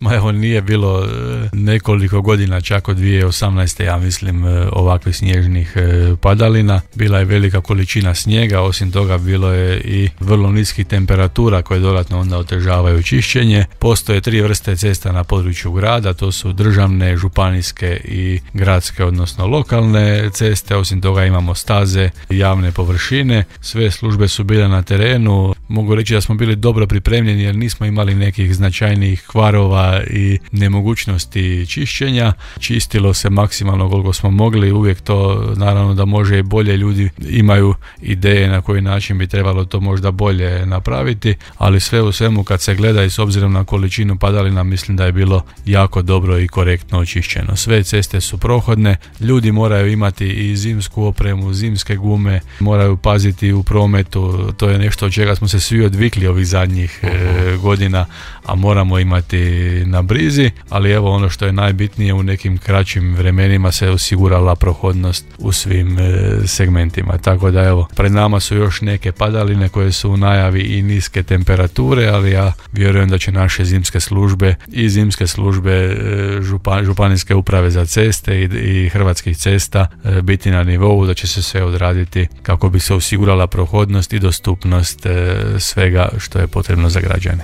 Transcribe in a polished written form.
Ma evo, nije bilo nekoliko godina, čak od 2018. ja mislim, ovakvih snježnih padalina. Bila je velika količina snijega, osim toga bilo je i vrlo niskih temperatura koje dodatno onda otežavaju čišćenje. Postoje 3 vrste cesta na području grada, to su državne, županijske i gradske, odnosno lokalne ceste. Osim toga imamo staze, javne površine. Sve službe su bile na terenu. Mogu reći da smo bili dobro pripremljeni jer nismo imali nekih značajnijih kvarova i nemogućnosti čišćenja. Čistilo se maksimalno koliko smo mogli, uvijek to naravno da može i bolje, ljudi imaju ideje na koji način bi trebalo to možda bolje napraviti, ali sve u svemu kad se gleda i s obzirom na količinu padalina mislim da je bilo jako dobro i korektno očišćeno. Sve ceste su prohodne, ljudi moraju imati i zimsku opremu, zimske gume, moraju paziti u prometu, to je nešto od čega smo se svi odvikli ovih zadnjih godina, a moramo imati na brizi, ali evo ono što je najbitnije, u nekim kraćim vremenima se osigurala prohodnost u svim segmentima, tako da evo, pred nama su još neke padaline koje su u najavi i niske temperature, ali ja vjerujem da će naše zimske službe i zimske službe županijske uprave za ceste i Hrvatskih cesta biti na nivou, da će se sve odraditi kako bi se osigurala prohodnost i dostupnost svega što je potrebno za građane.